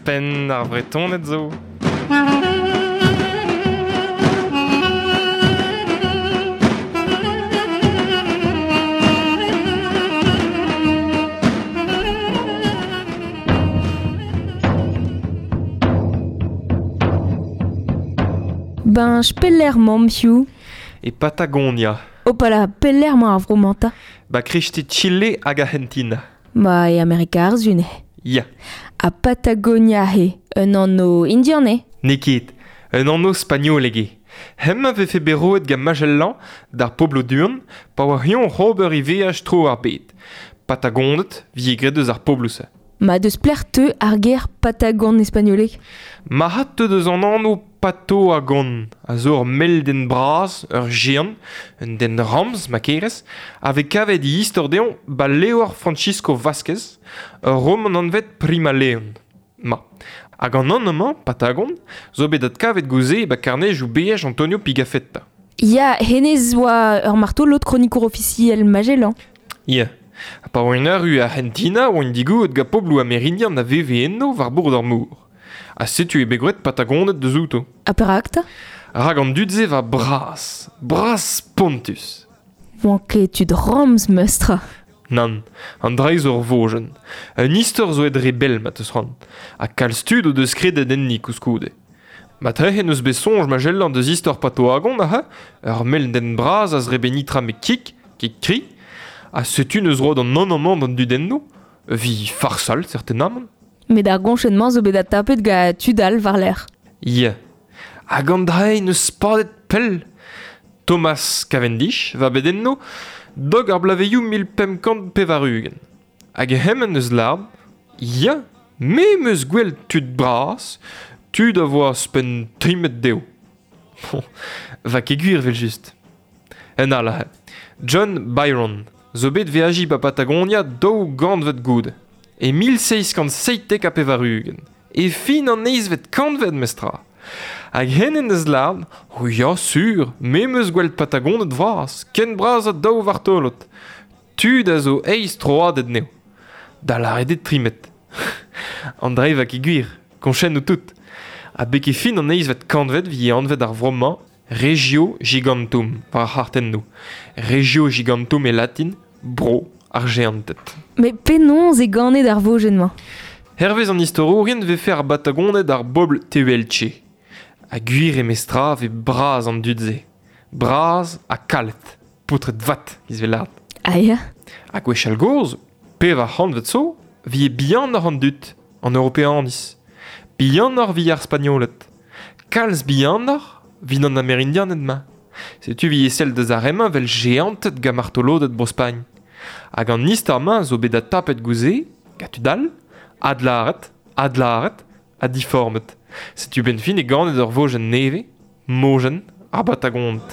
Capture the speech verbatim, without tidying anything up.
Penn ar Vretoned zo. Ben, pelec'h 'maomp hiziv. E Patagonia. Opala, pelec'h 'mañ ar vro-mañ 'ta? Ba kreisteiz Chile hag Argentina. Ma e Amerika ar Su eo. Ya. Ha Patagonia eo, un anv indian eo? N'eo ket, un anv spagnolek eo. Hemañ vefe bet roet gant Magellan d'ar pobloù du-hont pa oa eñ oc'h ober e veaj tro ar bed. Patagoned 'vije graet eus ar pobloù-se. Ma deus pelec'h teu ar ger Patagon e spagnoleg? Ma hat teu deus an anv Patoagon, a zo ur mell den bras, ur géant, un den ramz, ma kerez, a vez kavet e istor dezhañ ba levr Francisco Vázquez, ur roman anvet Prima Leon. Ma. Hag an anv-mañ, Patagon, zo bet adkavet gouze ba karnejioù beaj Antonio Pigafetta. Ya, hennezh oa ur martolod kronikour ofisiel Magellan. Ya. Ha pa oa erru Argentina oa digouezet gant pobloù amerindian a veve eno war bord ar mor. Ha setu eo bet graet Patagoned deus outo. Ha perak 'ta? Rak an dud-se va bras, bras spontus. Oant ket tud ramz meustra. Nann, an dra zo ur vojenn. Un istor zo aet re bell ma teus c'hoant. Ha kalz tud o deus kredet enni koulskoude. Ma trec'hen eus bet soñj Magellan deus istor Patoagon aze, ur mell den bras a zrebe nitra met kig, kig kri, ha setu neus roet an anv-mañ d'an dudennoù, vi farsal certainement. Met ar goñchenn-mañ zo bet adtapet gant tud all war-lerc'h. Ya. Hag an dra neus padet pell. Thomas Cavendish va bet enno dog ar blaveioù mil pemp kant pevar-ugent. Hag hemañ neus lâret, ya, me 'm eus gwell tud bras, tud a voa ouzhpenn tri metr dezho. Bon, va ket gwir evel-just. Un all aze. John Byron zo bet veajiñ ba Patagonia daou gantved goude. E mil seizh kant seitek ha pevar-ugent. E fin an eizhvet kantved mestra. Hag hen deus lâret, oh ya sur, me 'm eus gwel't Patagoned vras, ken bras ha daou vartolod. Tud a zo eizh troaded anezho. Da lâret eo tri metr. An dra va ket gwir, koñchennoù tout. Ha beke fin an eizhvet kantved 'vije anvet ar vro-mañ Regio Gigantum, war ar c'hartennoù. Regio Gigantum e latin, bro ar geanted. Met penaos eo ganet ar vojenn-mañ? Hervez an istorourien vefe ar Batagoned ar bobl Tehuelche. Ha gwir eo mestra 'vez bras an dud-se. Bras ha kalet. Paotred vat, giz 'vez lâret. Ah ya? Ha gwechall gozh, pevar c'hantved zo, 'vije bihanoc'h an dud, an Europeaniz. Bihanoc'h 'vije ar Spagnoled. Kalz bihanoc'h 'vit an Amerindianed ma. Setu 'vije sell deus ar re-mañ 'vel geanted gant martoloded Bro-Spagn. Hag an istor-mañ zo bet adtapet gouze, gant tud all, adlâret, adlâret, ha diformet. Setu benn fin e ganet ur vojenn nevez, mojenn ar Batagoned.